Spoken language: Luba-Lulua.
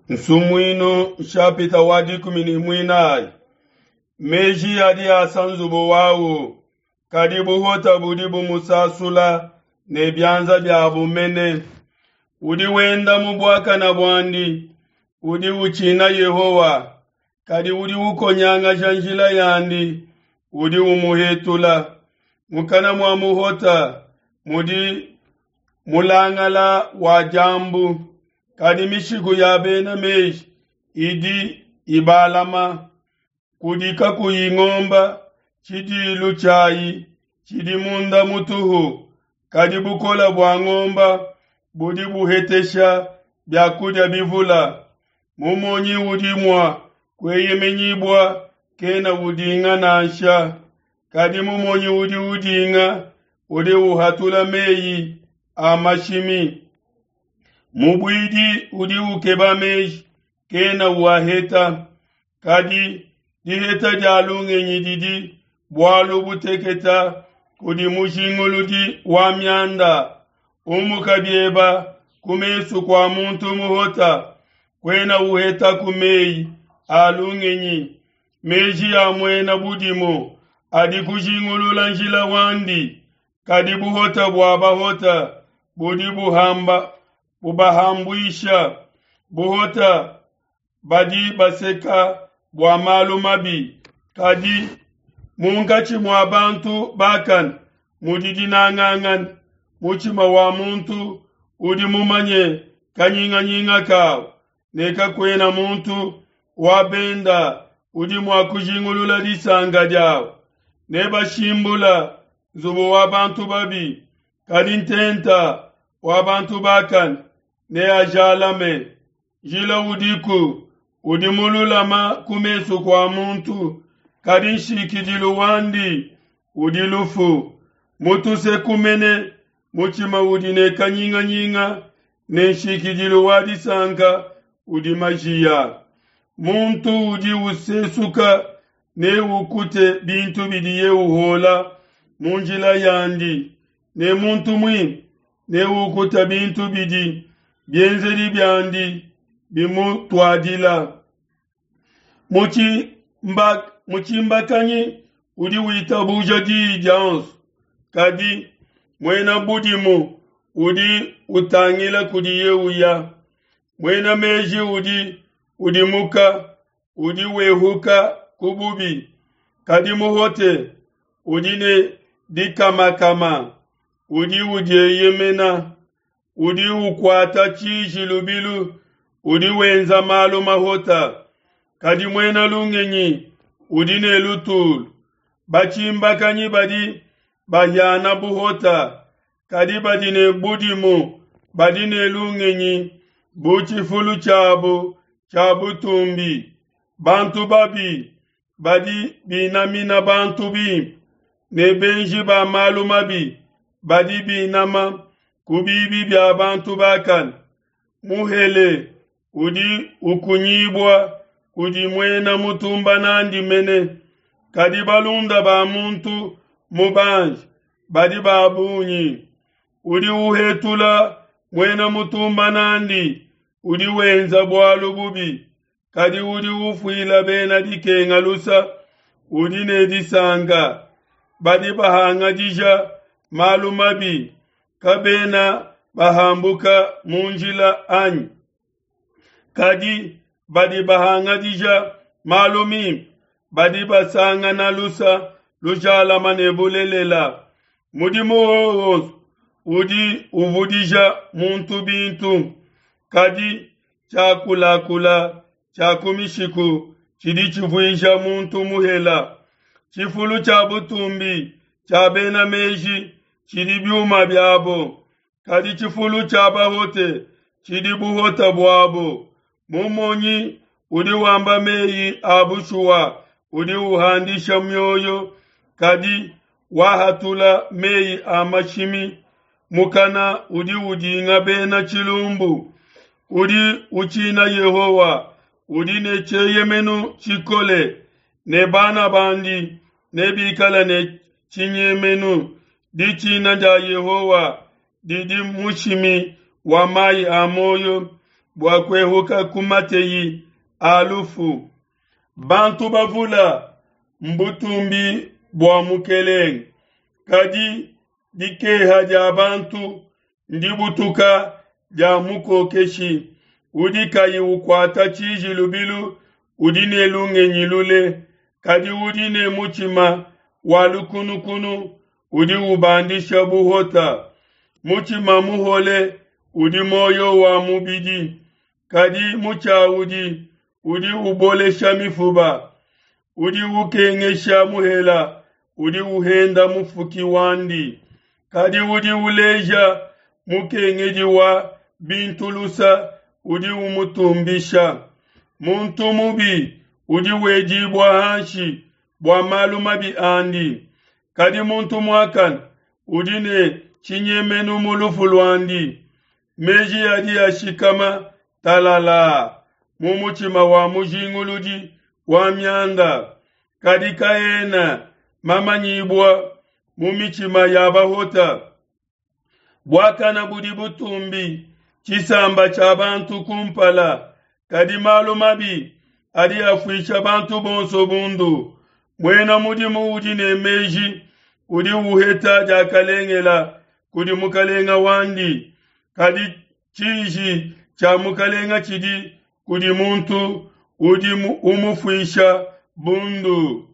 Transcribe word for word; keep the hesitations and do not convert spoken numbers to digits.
Nsumuinu nshapita wa dikumi ne muinayi. Meji adi asa nzubu wawu, kadi buhota budi bumusasula ne bianza biabu mene. Udi wenda mu buakana buandi, udi utshina Yehowa, kadi udi ukonyangasha njila yandi, udi umuhetula. Mukana mua muhota mudi mulangala wa diambu, kadi mishiku ya bena meji idi ibalama. Kudi kakuyi ngomba, tshidilu tshiayi tshidi munda mutuhu, kadi bukole bua ngomba budi buhetesha bia kudia bivula. Mumonyi udi mua kueyemenyibua kena udinga nansha, kadi mumonyi udi udinga udi uhatula meyi a mashimi. Mubuidi udi ukeba meji kena uaheta, kadi diheta dia lungenyi didi bualu buteketa kudi mujinguludi wa mianda. Umuka bieba ku mesu kua muntu muhota, kuena uhetaku meyi a lungenyi. Meji a muena budimu adi kujingulula njila wandi, kadi buhota bua bahota budi buhamba bubahambuisha. Buhota badi baseka bua malu mabi, kadi munkatshi mua bantu bakane mudi dinangangana. Mutshima wa muntu udi mumanye kanyinganyinga kawu, ne kakuena muntu wa benda udi mua kujingulula disanka diawu. Nebashimbula nzubu wa bantu babi, kadi ntenta wa bantu bakane neajalame. Njila udiku udi mululama ku mesu kua muntu, kadi nshikidilu wandi udi lufu. Mutuse mene mutshima udi ne kanyinganyinga, ne nshikidilu wa disanka udi majiya. Muntu udi usesuka neukute bintu bidiye uhola mu njila yandi, ne muntu muimpe neukute bintu bidi bienzedi biandi bimutuadila. Mutshimbakanyi udi witabuja diyi dionso, kadi muena budimu udi utangila kudiye uya. Muena meji udi udimuka, udi wehuka ku bubi, kadi muhote udi ne dikamakama, udi udieyemena. Udi ukuata tshiji lubilu, udi wenza malu mahota, kadi muena lungenyi udi ne lutulu. Batshimbakanyi badi bahiana buhota, kadi badi ne budimu badi ne lungenyi bu tshifulu tshiabu tshia butumbi. Bantu babi badi binamina bantu bimpe, ne benji ba malu mabi badi binama ku bibi bia bantu bakane. Muhele udi ukunyibua kudi muena mutumba nandi mene, kadi balunda ba muntu mubanji badi ba bungi. Udi uhetula muena mutumba nandi udi wenza bualu bubi, kadi udi ufuila bena dikenga lusa udi ne disanka. Badi bahangadija malu mabi kabena bahambuka mu njila anyi? Kadi badi bahangadija malu mimpe badi basangana lusa lujalama ne bulelela. Mudimu wonso udi uvudija muntu bintu, kadi tshiakulakula tshia ku mishiku tshidi tshivuija muntu muhela. Tshifulu tshia butumbi tshia bena meji tshidi biuma biabo, kadi tshifulu tshia bahote tshidi buhota buabo. Mumonyi udi wamba meyi a bushuwa udi uhandisha mioyo, kadi wahatula meyi a mashimi mukana udi udinga bena tshilumbu. Udi utshina Yehowa udi ne tshieyemenu tshikole, ne bana bandi nebikale ne tshinyemenu. Ditshina dia Yehowa didi mushimi wa mayi a muoyo, bua kuehuka ku mateyi a lufu. Bantu bavula mbutumbi bua mukelenge, kadi dikeha dia bantu ndibutuka dia mukokeshi. Udi kayi ukuata tshiji lubilu udi ne lungenyi lule, kadi udi ne mutshima wa lukunukunu udi ubandisha buhota. Mutshima muhole udi muoyo wa mubidi, kadi mutshiaudi udi ubolesha mifuba. Udi ukengesha muhela udi uhenda mufuki wandi, kadi udi uleja mukengedi wa bintu lusa udi umutumbisha. Muntu mubi udi wedibua hanshi bua malu mabi andi, kadi muntu muakane udi ne tshinyemenu mu lufu luandi. Meji adi ashikama talalaa mu mutshima wa mujinguludi wa mianda, kadi kaena mamanyibua mu mitshima ya bahota. Buakana budi butumbi tshisamba tshia bantu kumpala, kadi malu mabi adi afuisha bantu bonso bundu. Muena mudimu udi ne meji udi uheta diakalengela kudi mukalenga wandi, kadi tshiji tshia mukalenga tshidi kudi muntu udi umufuisha bundu.